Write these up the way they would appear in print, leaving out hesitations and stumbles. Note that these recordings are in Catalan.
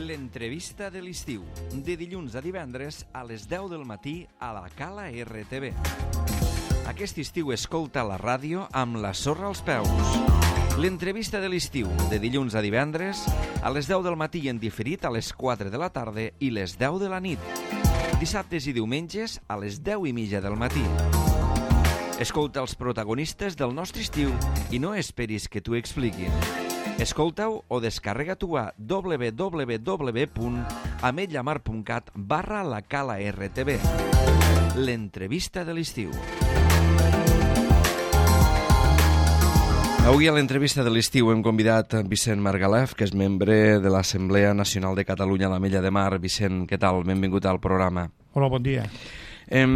L'entrevista de l'estiu, de dilluns a divendres a les 10 del matí a la Cala RTV. Aquest estiu escolta la ràdio amb la sorra als peus. L'entrevista de l'estiu, de dilluns a divendres a les 10 del matí i en diferit a les 4 de la tarda i les 10 de la nit. Dissabtes i diumenges a les 10:30 del matí. Escolta els protagonistes del nostre estiu i no esperis que t'ho expliquin. Escolta-ho o descarrega-t'ho a www.ametlamar.cat/la-cala-rtb. L'entrevista de l'estiu. Avui a l'entrevista de l'estiu hem convidat Vicent Margalef, que és membre de l'Assemblea Nacional de Catalunya a l'Ametlla de Mar. Vicent, què tal? Benvingut al programa. Hola, bon dia. El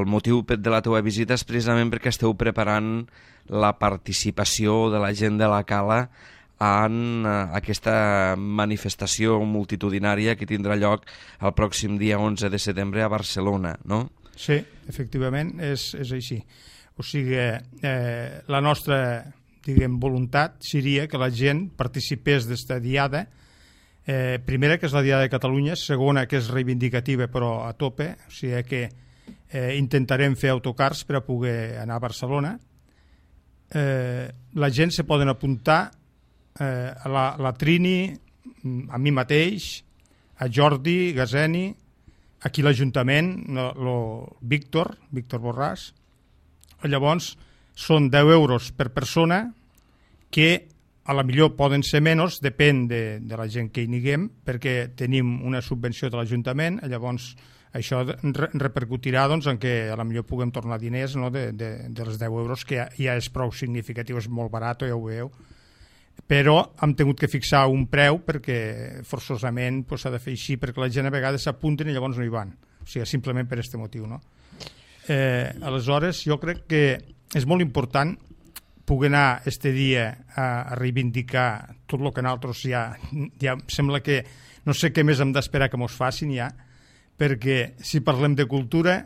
motiu de la teva visita és precisament perquè esteu preparant la participació de la gent de la Cala en aquesta manifestació multitudinària que tindrà lloc el pròxim dia 11 de setembre a Barcelona, no? Sí, efectivament, és així. O sigui, la nostra, voluntat seria que la gent participés d'esta diada, primera, que és la Diada de Catalunya, segona, que és reivindicativa però a tope, o sigui que intentarem fer autocars per a poder anar a Barcelona. La gent se poden apuntar a la Trini, a mi mateix, a Jordi Gazeni, aquí l'Ajuntament, Víctor Borràs. Llavors són 10 euros per persona, que a la millor poden ser menys, depèn de la gent que hi niguem, perquè tenim una subvenció de l'Ajuntament, llavors això repercutirà en què a la millor puguem tornar diners de les 10 euros, que ja és prou significatiu, és molt barat, ja ho veieu, però hem tingut que fixar un preu perquè forçosament s'ha de fer així, perquè la gent a vegades s'apunten i llavors no hi van, o sigui, simplement per aquest motiu, no? Aleshores, jo crec que és molt important poder anar este dia a reivindicar tot el que nosaltres ja sembla que no sé què més hem d'esperar que mos facin ja, perquè si parlem de cultura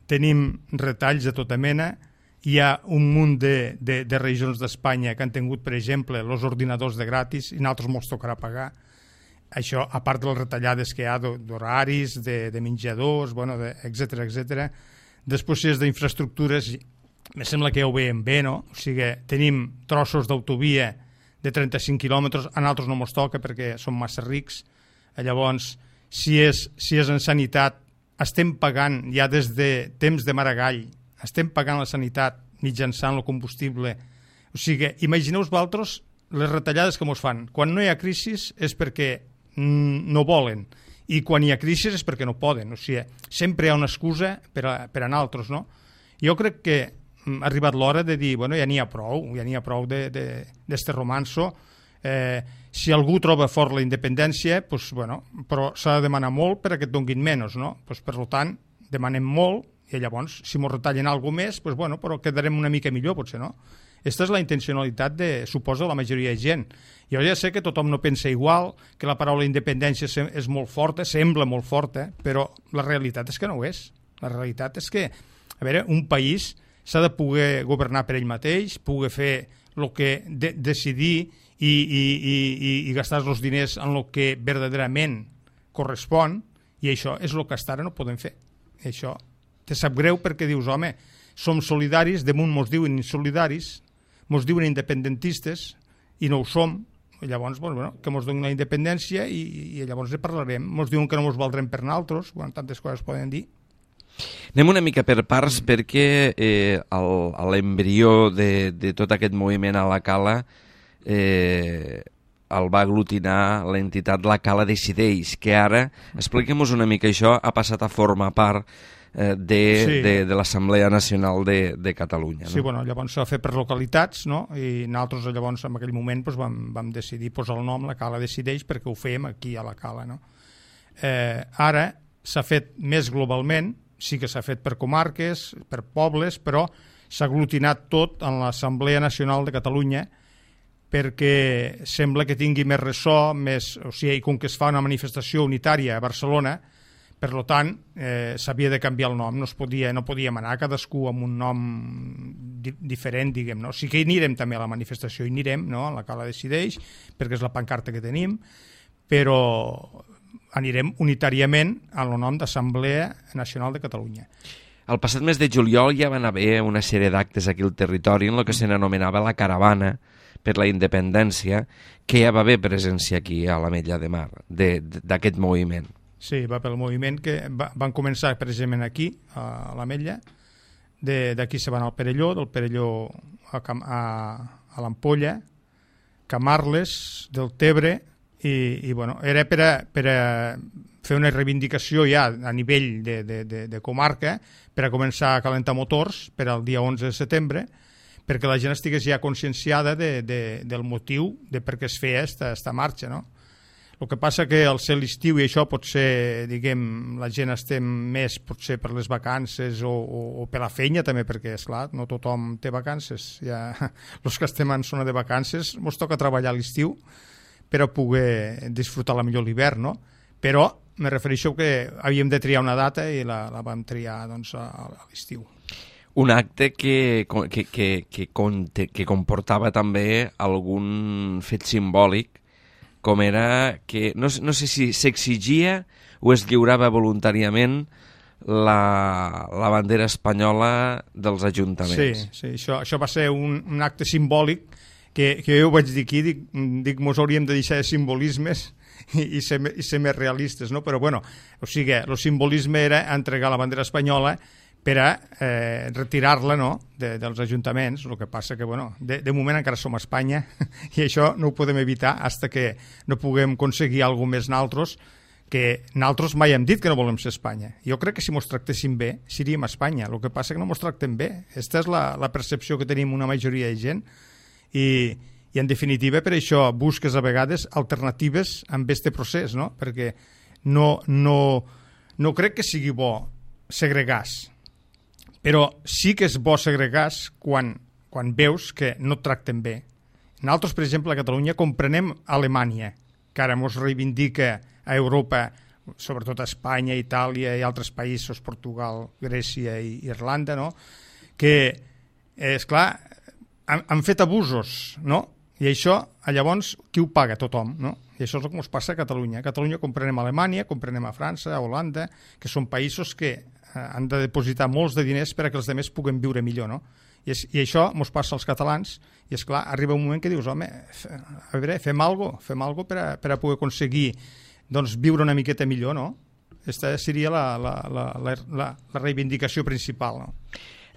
tenim retalls de tota mena. Hi ha un munt de regions d'Espanya que han tingut, per exemple, els ordinadors de gratis i nosaltres mos tocarà pagar. Això, a part de les retallades que hi ha d'horaris, de menjadors, etcètera. Després, si és d'infraestructures, em sembla que ja ho veiem bé, no? O sigui, tenim trossos d'autovia de 35 quilòmetres, a nosaltres no mos toca perquè som massa rics. Llavors, si és en sanitat, estem pagant ja des de temps de Maragall, estem pagant la sanitat mitjançant el combustible. O sigui, imagineu-vos vosaltres les retallades que mos fan. Quan no hi ha crisi és perquè no volen, i quan hi ha crisi és perquè no poden. O sigui, sempre hi ha una excusa per a nosaltres, no? Jo crec que ha arribat l'hora de dir, ja n'hi ha prou d'este romanço. Si algú troba fort la independència, però s'ha de demanar molt perquè et donguin menys, no? Per tant, demanem molt, i llavors, si m'ho retallen alguna més, però quedarem una mica millor, potser, no? Aquesta és la intencionalitat suposa, la majoria de gent. Jo ja sé que tothom no pensa igual, que la paraula independència és molt forta, sembla molt forta, però la realitat és que no ho és. La realitat és que, un país s'ha de poder governar per ell mateix, poder fer el que decidir i gastar els diners en el que verdaderament correspon, i això és el que fins ara no podem fer. Això te sap greu perquè dius, home, som solidaris, damunt mos diuen insolidaris, mos diuen independentistes, i no ho som. Llavors, que mos donin la independència i llavors ne parlarem. Mos diuen que no mos valdrem per nosaltres, tantes coses poden dir. Anem una mica per parts perquè l'embrió de tot aquest moviment a la Cala el va aglutinar l'entitat La Cala Decideix, que ara, expliquem-nos una mica això, ha passat a formar part de l'Assemblea Nacional de Catalunya. No? Sí, llavors s'ha fet per localitats, no? I nosaltres llavors en aquell moment vam decidir posar el nom La Cala Decideix perquè ho fèiem aquí a la Cala. No? Ara s'ha fet més globalment, sí que s'ha fet per comarques, per pobles, però s'ha aglutinat tot en l'Assemblea Nacional de Catalunya perquè sembla que tingui més ressò, o sigui, com que es fa una manifestació unitària a Barcelona, Per tant, s'havia de canviar el nom, no podíem anar cadascú amb un nom diferent, diguem, no? Sí que hi anirem també a la manifestació, hi anirem, no? A la Cala Decideix, perquè és la pancarta que tenim, però anirem unitàriament al nom d'Assemblea Nacional de Catalunya. El passat mes de juliol ja van haver una sèrie d'actes aquí al territori en el que se n'anomenava la Caravana per la Independència, que ja va haver presència aquí a l'Ametlla de Mar, d'aquest moviment. Sí, va pel moviment que van començar precisament aquí, a l'Ametlla, d'aquí se van al Perelló, del Perelló a l'Ampolla, Camarles, del Tebre, i bueno, era per a fer una reivindicació ja a nivell de comarca, per a començar a calentar motors per al dia 11 de setembre, perquè la gent estigués ja conscienciada del motiu de per què es feia esta marxa, no? El que passa que al ser l'estiu i això potser, diguem, la gent estem més potser per les vacances o per la feina també, perquè, esclar, no tothom té vacances. Ja, els que estem en zona de vacances ens toca treballar a l'estiu per a poder disfrutar la millor l'hivern, no? Però me refereixo que havíem de triar una data i la vam triar doncs, a l'estiu. Un acte que comportava també algun fet simbòlic, com era que, no sé si s'exigia o es lliurava voluntàriament la bandera espanyola dels ajuntaments. Sí, això va ser un acte simbòlic que jo ho vaig dir aquí, dic mos hauríem de deixar de simbolismes i ser més realistes, no? Però bueno, o sigui, el simbolisme era entregar la bandera espanyola per a retirar-la, no?, dels ajuntaments. El que passa que, bueno, de moment encara som a Espanya i això no ho podem evitar fins que no puguem aconseguir alguna més naltros, que naltros mai hem dit que no volem ser Espanya. Jo crec que si mos tractéssim bé seríem a Espanya. El que passa que no mos tractem bé. Aquesta és la percepció que tenim una majoria de gent i en definitiva per això busques a vegades alternatives amb este procés, no? Perquè no crec que sigui bo segregar-se, però sí que és bo segregar-se quan veus que no et tracten bé. Nosaltres, per exemple, a Catalunya comprenem Alemanya, que ara ens reivindica a Europa, sobretot a Espanya, Itàlia i altres països, Portugal, Grècia i Irlanda, no?, que, esclar, han fet abusos, no? I això, llavors, qui ho paga? Tothom, no? I això és el que ens passa a Catalunya. A Catalunya comprenem Alemanya, comprenem a França, a Holanda, que són països que han de depositar molts de diners per a que els altres puguen viure millor, no? I això ens passa als catalans, i és clar, arriba un moment que dius, home, a veure, fem alguna cosa per a poder aconseguir doncs, viure una miqueta millor, no? Aquesta seria la reivindicació principal, no?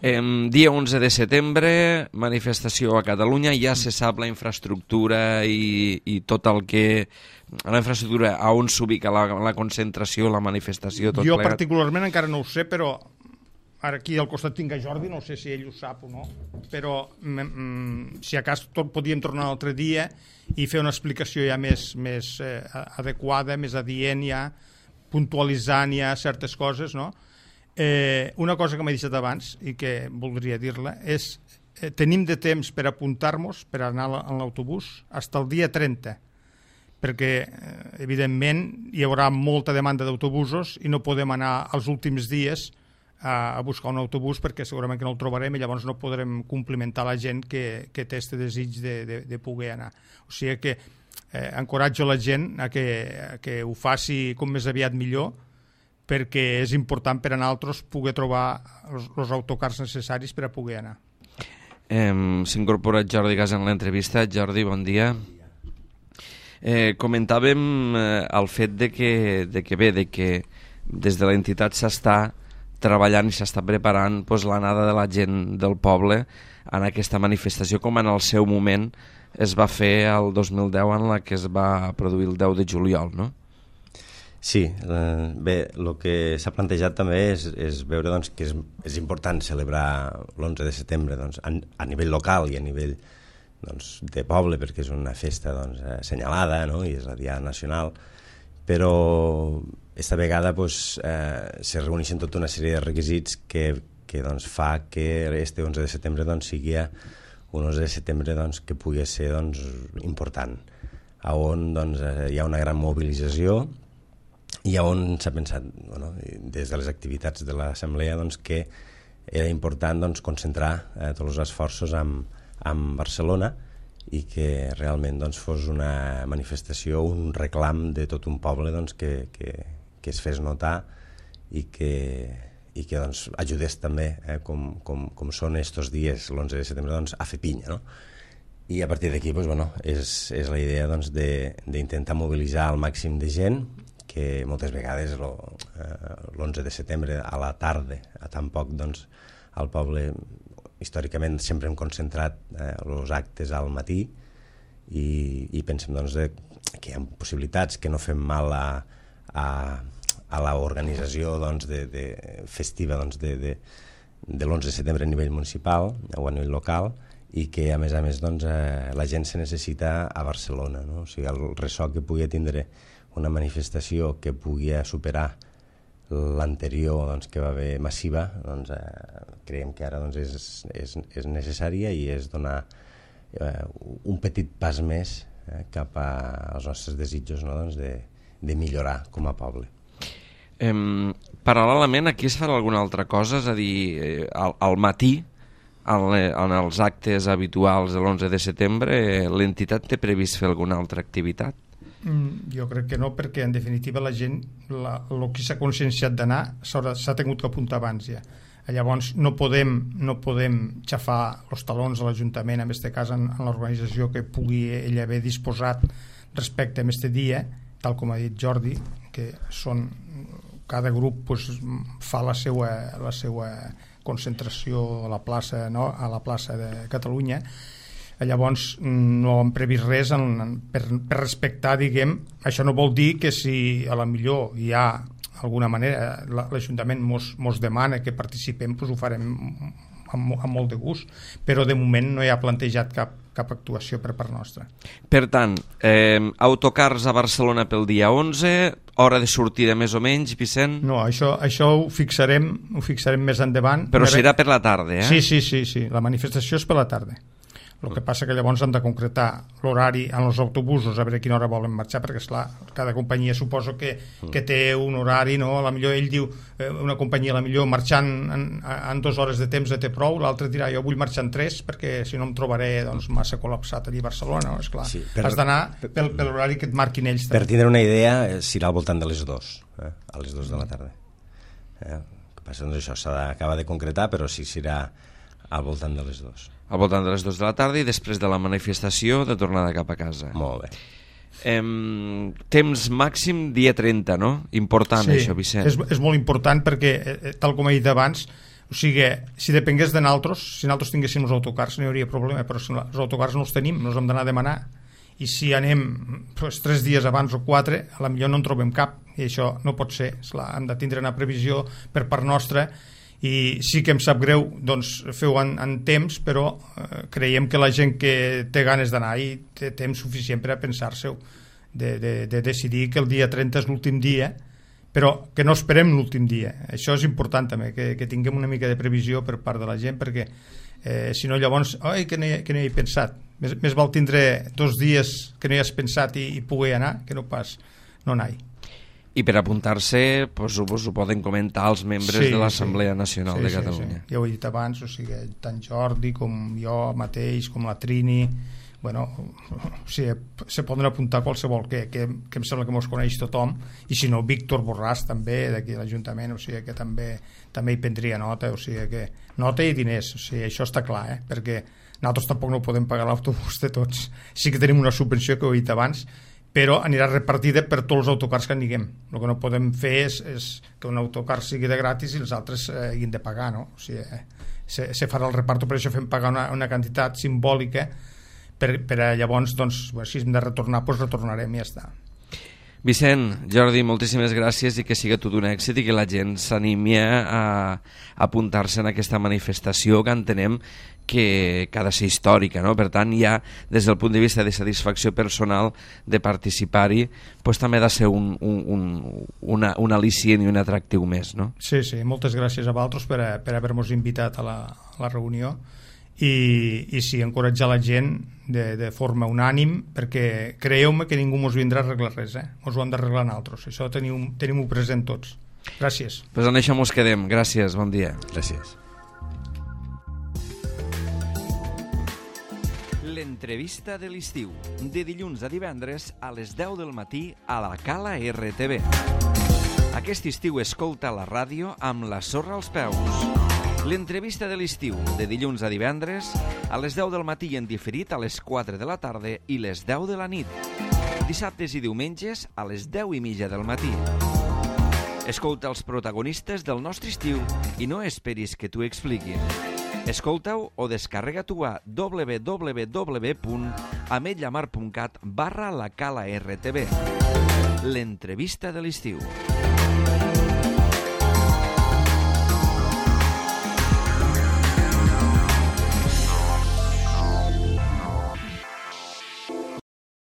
Dia 11 de setembre, manifestació a Catalunya, ja se sap la infraestructura i tot el que... La infraestructura, a on s'ubica la concentració, la manifestació, tot jo plegat? Particularment encara no ho sé, però ara aquí al costat tinc a Jordi, no sé si ell ho sap o no, però si a cas podíem tornar un altre dia i fer una explicació ja més adequada, més adient ja, puntualitzant ja certes coses, no? Una cosa que m'he deixat abans i que voldria dir-la és tenim de temps per apuntar-nos per anar en l'autobús fins al dia 30, perquè evidentment hi haurà molta demanda d'autobusos i no podem anar els últims dies a buscar un autobús perquè segurament que no el trobarem i llavors no podrem complimentar la gent que té aquest desig de poder anar. O sigui que encoratjo la gent a que ho faci com més aviat millor, perquè és important per a nosaltres poder trobar els autocars necessaris per a poder anar. S'ha incorporat Jordi Gas en l'entrevista. Jordi, bon dia. Comentàvem el fet de que des de l'entitat s'està treballant i s'està preparant l'anada de la gent del poble en aquesta manifestació, com en el seu moment es va fer el 2010 en la que es va produir el 10 de juliol, no? Sí, bé, el que s'ha plantejat també és veure doncs, que és important celebrar l'11 de setembre doncs, a nivell local i a nivell doncs, de poble, perquè és una festa doncs, assenyalada, no? I és la Diada Nacional, però esta vegada doncs, se reuneixen tota una sèrie de requisits que doncs, fa que este 11 de setembre doncs, sigui un 11 de setembre doncs, que pugui ser doncs, important, on doncs, hi ha una gran mobilització i on s'ha pensat, des de les activitats de l'assemblea, que era important concentrar tots els esforços en Barcelona i que realment fos una manifestació, un reclam de tot un poble que es fes notar i que ajudés també, com són estos dies, l'11 de setembre, a fer pinya, no? I a partir d'aquí és la idea d'intentar mobilitzar el màxim de gent, que moltes vegades l'11 de setembre a la tarda, a tan poc, al poble històricament sempre hem concentrat els actes al matí i pensem que hi ha possibilitats, que no fem mal a l'organització festiva de l'11 de setembre a nivell municipal o a nivell local, i que a més la gent se necessita a Barcelona, no? O sigui, el ressò que pugui tindre una manifestació que pugui superar l'anterior que va haver massiva, creiem que ara és necessària i és donar un petit pas més cap als nostres desitjos, de millorar com a poble. Paral·lelament, aquí es farà alguna altra cosa? És a dir, al matí, en els actes habituals de l'11 de setembre, l'entitat té previst fer alguna altra activitat? Jo crec que no, perquè en definitiva la gent, el que s'ha conscienciat d'anar s'ha tingut que apuntar abans ja. Llavors no podem xafar els talons a l'Ajuntament, en aquest cas en l'organització que pugui ell haver disposat respecte a aquest dia, tal com ha dit Jordi, que cada grup fa la seva concentració a la plaça de Catalunya. Llavors no hem previst res per respectar, diguem. Això no vol dir que si a la millor hi ha alguna manera l'Ajuntament mos demana que participem, ho farem amb molt de gust, però de moment no hi ha plantejat cap actuació per part nostra. Per tant, autocars a Barcelona pel dia 11, hora de sortida més o menys, Vicent? No, això ho fixarem més endavant. Però serà per la tarda, eh? Sí, la manifestació és per la tarda. El que passa que llavors han de concretar l'horari en els autobusos, a veure a quina hora volen marxar, perquè esclar, cada companyia suposo que té un horari, no? A la millor ell diu, una companyia a la millor marxant en 2 hores de temps té prou, l'altre dirà jo vull marxar en 3 perquè si no em trobaré massa col·lapsat allí a Barcelona, no? Esclar, sí, has d'anar per l'horari que et marquin ells. Per tindre una idea, serà al voltant de les 2, a les 2 de la tarda. El que passa, això s'ha d'acabar de concretar, però sí serà al voltant de les 2. Al voltant de les 2 de la tarda i després de la manifestació de tornada cap a casa. Molt bé. Temps màxim dia 30, no? Important, sí, això, Vicent. És molt important perquè, tal com he dit abans, o sigui, si depengués de nosaltres, si nosaltres tinguéssim els autocars no hi hauria problema, però si els autocars no els tenim, no els hem d'anar a demanar, i si anem 3 dies abans o 4, a la millor no en trobem cap, i això no pot ser. Esclar, hem de tindre una previsió per part nostra, i sí que em sap greu fer-ho en temps, però creiem que la gent que té ganes d'anar i té temps suficient per a pensar-se-ho, de decidir que el dia 30 és l'últim dia, però que no esperem l'últim dia. Això és important també, que tinguem una mica de previsió per part de la gent, perquè si no llavors que no hi he pensat. Més val tindre 2 dies que no hi has pensat i poder anar que no pas no anar-hi. I per apuntar-se ho poden comentar els membres de l'Assemblea Nacional de Catalunya. Ja ho he dit abans, o sigui, tant Jordi com jo mateix, com la Trini, se poden apuntar qualsevol que em sembla que mos coneix tothom, i si no Víctor Borràs també d'aquí a l'Ajuntament, o sigui que també hi prendria nota, o sigui que nota i diners, o sigui, això està clar, perquè nosaltres tampoc no podem pagar l'autobús de tots. Sí que tenim una subvenció que ho he dit abans, però anirà repartida per tots els autocars que n'higuem. El que no podem fer és que un autocar sigui de gratis i els altres hagin de pagar, no? O sigui, se farà el reparto, per això fem pagar una quantitat simbòlica per a llavors, si hem de retornar, retornarem i ja està. Vicent, Jordi, moltíssimes gràcies i que siga tot un èxit i que la gent s'animi a apuntar-se en aquesta manifestació que entenem que ha de ser històrica, no? Per tant, ja des del punt de vista de satisfacció personal de participar-hi, també ha de ser un al·licient i un atractiu més, no? Sí, moltes gràcies a vosaltres per haver-nos invitat a la reunió i sí, encoratjar la gent de forma unànim, perquè creieu-me que ningú mos vindrà a arreglar res, mos ho hem d'arreglar nosaltres, això tenim-ho present tots. Gràcies. Pues en això mos quedem, gràcies, bon dia. Gràcies. L'entrevista de l'estiu, de dilluns a divendres a les 10 del matí a la Cala RTV. Aquest estiu escolta la ràdio amb la sorra als peus. L'entrevista de l'estiu, de dilluns a divendres a les 10 del matí en diferit a les 4 de la tarda i les 10 de la nit. Dissabtes i diumenges a les 10:30 del matí. Escolta els protagonistes del nostre estiu i no esperis que t'ho expliquin. Escolta-ho o descarrega-t'ho a www.ametlllamar.cat/la Cala RTV. L'entrevista de l'estiu.